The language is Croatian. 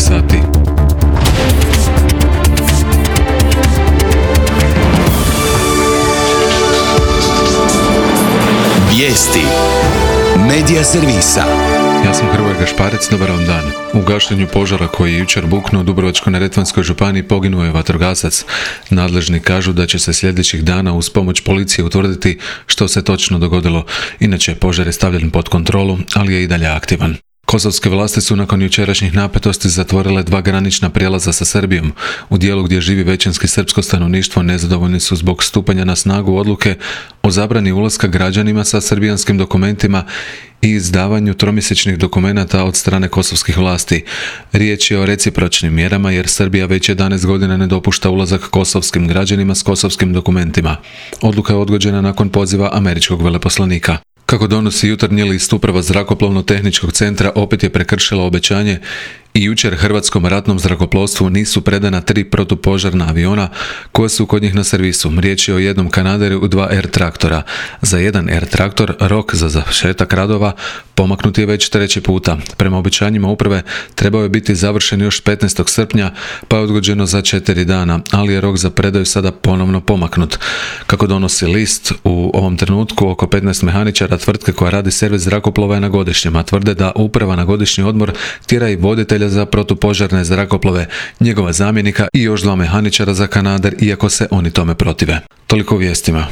sati. Vijesti Medija servisa. Ja sam Hrvoje Gašparec, dobar vam dan. U gašenju požara koji je jučer buknuo u Dubrovačko-neretvanskoj županiji poginuo je vatrogasac. Nadležni kažu da će se sljedećih dana uz pomoć policije utvrditi što se točno dogodilo. Inače, požar je stavljen pod kontrolu, ali je i dalje aktivan. Kosovske vlasti su nakon jučerašnjih napetosti zatvorile 2 granična prijelaza sa Srbijom. U dijelu gdje živi većinski srpsko stanovništvo nezadovoljni su zbog stupanja na snagu odluke o zabrani ulaska građanima sa srbijanskim dokumentima i izdavanju tromjesečnih dokumenata od strane kosovskih vlasti. Riječ je o recipročnim mjerama jer Srbija već 11 godina ne dopušta ulazak kosovskim građanima s kosovskim dokumentima. Odluka je odgođena nakon poziva američkog veleposlanika. Kako donosi jutarnji list, Uprava zrakoplovno-tehničkog centra opet je prekršila obećanje i jučer Hrvatskom ratnom zrakoplovstvu nisu predana 3 protupožarna aviona koja su kod njih na servisu. Riječ je o jednom Kanaderu i 2 Air traktora. Za jedan Air traktor rok za završetak radova pomaknut je već 3. puta. Prema obećanjima uprave trebao je biti završen još 15. srpnja, pa je odgođeno za 4 dana, ali je rok za predaju sada ponovno pomaknut. Kako donosi list, u ovom trenutku oko 15 mehaničara tvrtke koja radi servis zrakoplova je na godišnjem, a tvrde da uprava na godišnji odmor tjera i voditelja za protupožarne zrakoplove, njegova zamjenika i još 2 mehaničara za Kanader, iako se oni tome protive. Toliko u vijestima.